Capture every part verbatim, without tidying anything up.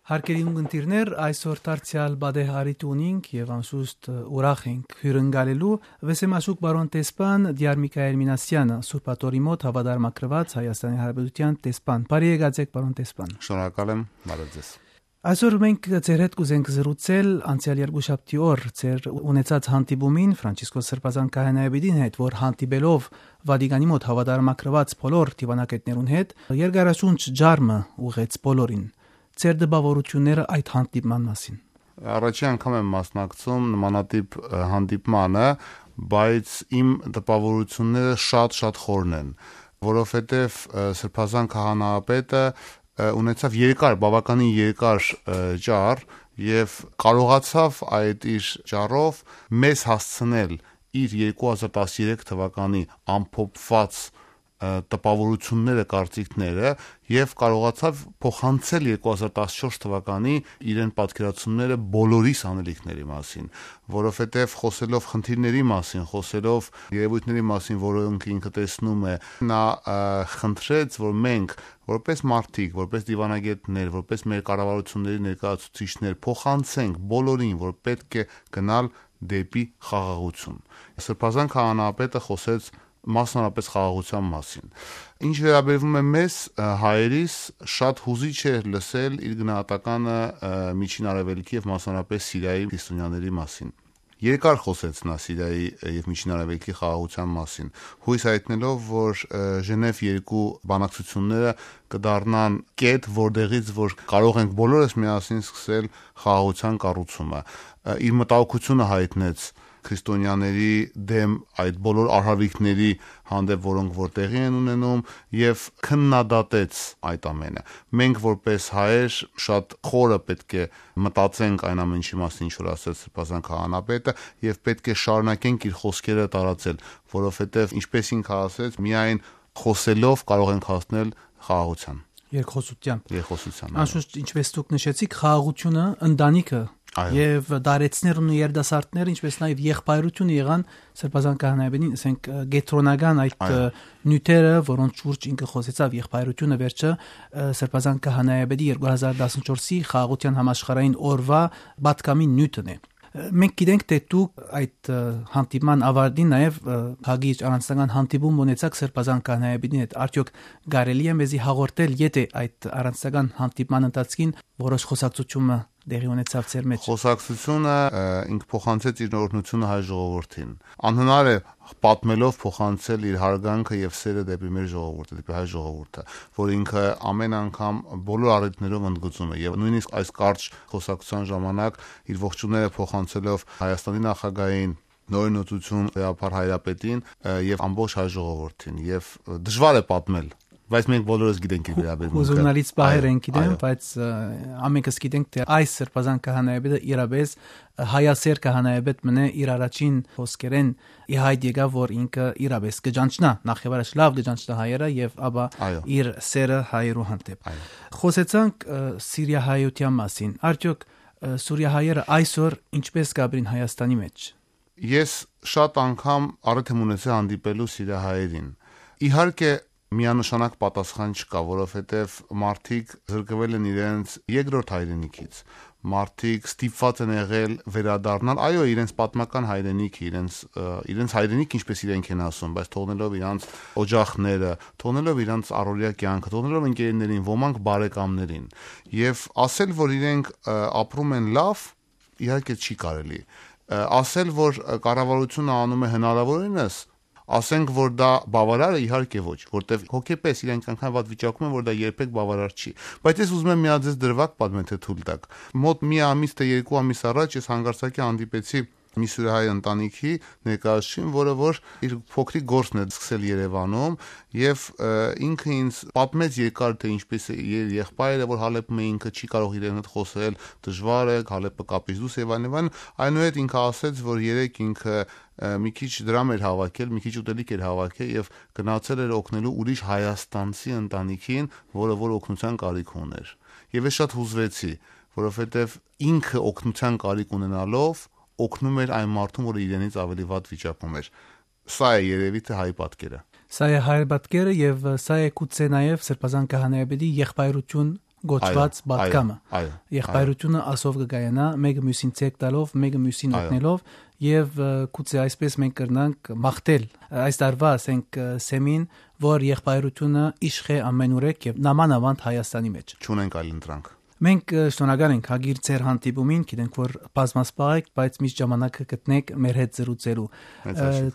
Հարգելի ունգընտիրներ, այսօր դարձեալ պատեհ առիթ ունինք եւ անշուշտ ուրախ ենք հիւրընկալելու Վեսեմաշուք պարոն դեսպան Դիար Միքայել Մինասեանը, Սուրբ Աթոռի մօտ հաւատարմագրուած Հայաստանի Հանրապետութեան դեսպան։ Բարի եկած եք, պարոն դեսպան։ Շնորհակալ եմ, բարև ձեզ։ Այսօր մենք ձեր հետ կուզենք զրուցել անցեալ երկուշաբթի օր ձեր ունեցած հանդիպումին Ֆրանցիսկոս Սրբազան քահանայապետին հետ, որ հանդիպելով Վատիկանի մօտ հաւատարմագրուած բոլոր դիվանագետներուն հետ, երկարաշունչ ջարմը ուղղեց բոլորին։ Ձեր տպաւորութիւնները այդ հանդիպման մասին։ Առաջին անգամ եմ մասնակցում նմանատիպ, ը, հանդիպմանը, բայց իմ տպաւորութիւնները շատ-շատ խորն են, որովհետեւ, ը, Սրբազան քահանայապետը, ը, ունեցավ երկար, բաւականին երկար, ը, ճառ եւ կարողացավ այդ իր ճառով մեզ հասցնել իր երկու հազար տասներեք թվականի ամփոփուած, ը, տպաւորութիւնները, կարծիքները եւ կարողացավ փոխանցել երկու հազար տասնչորս թվականի իրեն պատկերացումները բոլորիս անելիքների մասին, որովհետեւ խօսելով խնդիրների մասին, խօսելով երեւոյթների մասին, որոնք ինքը տեսնում է, նա, ը, խնդրեց, որ մենք, որպես մարդիկ, որպես դիվանագետներ, որպես մեր կառավարութիւնների ներկայացուցիչներ, փոխանցենք բոլորին, որ պէտք է գնալ դէպի խաղաղութիւն։ Սրբազան քահանայապետը խօսեց մասնավորապես խաղաղութեան մասին։ Ինչ վերաբերվում է մեզ, ը, հայերիս, շատ յուզիչ էր լսել իր գնահատականը, ը, Միջին Արեւելքի եւ մասնավորապես Սիրիայի քրիստոնյաների մասին։ Երկար խօսեց նա Սիրիայի, ը, եւ Միջին Արեւելքի խաղաղութեան մասին, յոյս հայտնելով, որ, ը, Ժենեւ երկու բանակցութիւնները կը դառնան կետ, որտեղից որ կարող ենք բոլորս միասին սկսել խաղաղութեան կառուցումը։ Ը, իր մտահոգութիւնը հայտնեց քրիստոնյաների դէմ այդ բոլոր արհավիրքների հանդէպ, որոնք որ տեղի են ունենում, եւ քննադատեց այդ ամենը։ Մենք որպես հայեր շատ խորը պէտք է մտածենք այն ամենի մասին, ինչ որ ասեց Սրբազան քահանայապետը, եւ պէտք է շարունակենք իր խօսքերը տարածել, որովհետեւ, ինչպես ինքը ասեց, միայն խօսելով կարող ենք հասնել խաղաղութեան։ Երկխօսութեան։ Երկխօսութեան, այո։ Անշուշտ, ինչպես դուք նշեցիք, խաղաղութիւնը, ընտանիքը Այո։ եւ դարեցներն ու երիտասարդները, ինչպես նաեւ եղբայրութիւնը եղան Սրբազան քահանայապետին, ասենք, ը, կեդրոնական այդ, Այո։ ը, նիւթերը, որոնց շուրջ ինքը խօսեցաւ, եղբայրութիւնը վերջը, ը, Սրբազան քահանայապետի երկու հազար տասնչորսի խաղաղութեան համաշխարհային օրուա պատգամին նիւթն է։ Ը, մենք գիտենք, թէ դուք այդ, ը, հանդիպման աւարտին նաեւ, ը, հագի առանձնական հանդիպում ունեցաք Սրբազան քահանայապետին հետ։ Արդեօք կարելի է մեզի հաղորդել, եթէ այդ առանձնական հանդիպման ընթացքին որոշ խօսակցութիւնը տեղի ունեցաւ ձեր մէջ։ Խօսակցութիւնը, ը, ինք փոխանցեց իր օրհնութիւնը հայ ժողովուրդին։ Անհնար է պատմելով փոխանցել իր հարգանքը եւ սերը դէպի մեր ժողովուրդը, դէպի հայ ժողովուրդը, որ ինքը ամեն անգամ բոլոր առիթներով ընդգծում է եւ նոյնիսկ այս կարճ խօսակցութեան ժամանակ իր ողջունները փոխանցելով Հայաստանի նախագահին, նորին օծություն Լեոփար հայրապետին, ը, եւ ամբողջ հայ ժողովուրդին, եւ, ը, դժվար է պատմել, բայց մենք բոլորս գիտենք իր վերաբերմունքը։ Հուզունալից պահեր Այո, են գիտեմ, այո։ բայց, ը, ամենքս գիտենք, թէ այս Սրբազան քահանայապետը իրապես, ը, հայասեր քահանայապետ մնե իր առաջին խոսքերեն ի հայտ եկաւ, որ ինքը իրապես կճանչնայ, նախ եւ առաջ լաւ կճանչնայ հայերը եւ ապա Այո։ իր սերը հայերու հանդէպ։ Այո։ Խօսեցանք, ը, սիրիահայութեան մասին։ Արդեօք, ը, սուրիահայերը այսօր ինչպես կապրին Հայաստանի մէջ։ Ես շատ անգամ առիթ եմ ունեցել հանդիպելու սիրիահայերին։ Իհարկե, միանշանակ պատասխան չկա, որովհետև մարդիկ զրկվել են իրենց երկրորդ հայրենիքից։ Մարդիկ ստիպված են եղել վերադառնալ, այո, իրենց պատմական հայրենիքը, իրենց, ը, իրենց հայրենիք, ինչպես իրենք են ասում, բայց թողնելով իրանց օջախները, թողնելով իրանց առօրյա կյանքը, թողնելով ընկերներին, ոմանք բարեկամներին։ Եվ ասել, որ իրենք, ը, ապրում են լավ, իհարկե չի կարելի։ Ը, ասել, որ, ը, կառավարությունը անում է հնարավորինս, ասենք, որ դա բավարար է, իհարկե ոչ, որտեվ հոգեպես իրենք այնքան վատ վիճակում են, որ դա երբեք բավարար չի։ Բայց ես ուզում եմ միա ձեզ դրվագ պատմել, թե թույլ տաք։ Մոտ մի ամիս, թե երկու ամիս առաջ ես հանկարծակի հանդիպեցի մի սուրիահայ ընտանիքի ներկայացուցիչին, որը որ իր փոքրիկ գործն է սկսել Երևանում, և, ը, ինքը ինձ պատմեց երկար, թե ինչպես է իր եղբայրը, որ Հալեպում է, ինքը չի կարող իրեն հետ խոսել, դժվար է, Հալեպը կապից դուրս և այլն, և այլն։ Այնուհետ ինքը ասեց, որ երեկ ինքը, ը, մի քիչ դրամ էր հավաքել, մի քիչ ուտելիք էր հավաքել և գնացել էր օգնելու ուրիշ հայաստանցի ընտանիքին, որը որ օգնության կարիք ուներ։ Եվ ես շատ հուզվեցի, որովհետև ինքը օգնության կարիք ունենալով օգնում էր այն մարդուն, որը իրենից ավելի վատ վիճակում էր։ Սա է երևի թե հայ պատկերը։ Սա է հայ պատկերը և, ը, սա է գուցե նաև Սրբազան քահանայապետի եղբայրություն կոչուած պատգամը։ Եղբայրությունը ասով կը կայանայ, մէկը միւսին ցերկ տալով, մէկը միւսին օգնելով, եւ գուցե այսպես մենք կրնանք մաղթել այս տարուայ, ասենք, սեմին, որ եղբայրությունը իշխէ ամենուրեք եւ նամանաւանդ Հայաստանի մէջ։ Չունենք այլ ընտրանք։ Մենք շնորհակալ ենք հագիր ձեր հանդիպումին, գիտենք, որ բազմասպաղ եք, բայց միշտ ժամանակը գտնեք մեր հետ զրուցելու։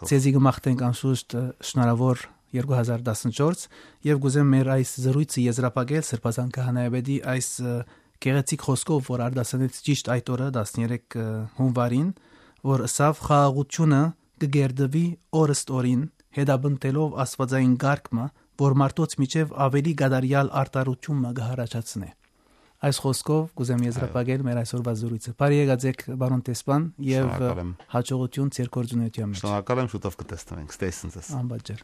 Ձեզի կը մաղթենք անշուշտ շնորհաւոր երկու հազար տասնչորս, եւ կ'ուզեմ մեր այս զրույցը եզրափակել Սրբազան Քահանայապետի այս գեղեցիկ խօսքով, որ արտասանեց ճիշտ այդ օրը, տասներեք հունվարին, որ ըսաւ. «Խաղաղությունը կը կերտուի օրըստօրին, հետապնդելով աստուածային կարգ մը, որ մարդոց միջեւ աւելի կատարեալ արդարութիւն մը կը յառաջացնէ»։ Այս խօսքով կ'ուզեմ եզրափակել մեր այսօրվա զրույցը։ Բարի եկած եք, պարոն դեսպան, եւ հաջողություն ձեր գործունեության մեջ։ Շնորհակալ եմ, շուտով կը տեսնենք։ Ստեսնձես։ Անպատճառ։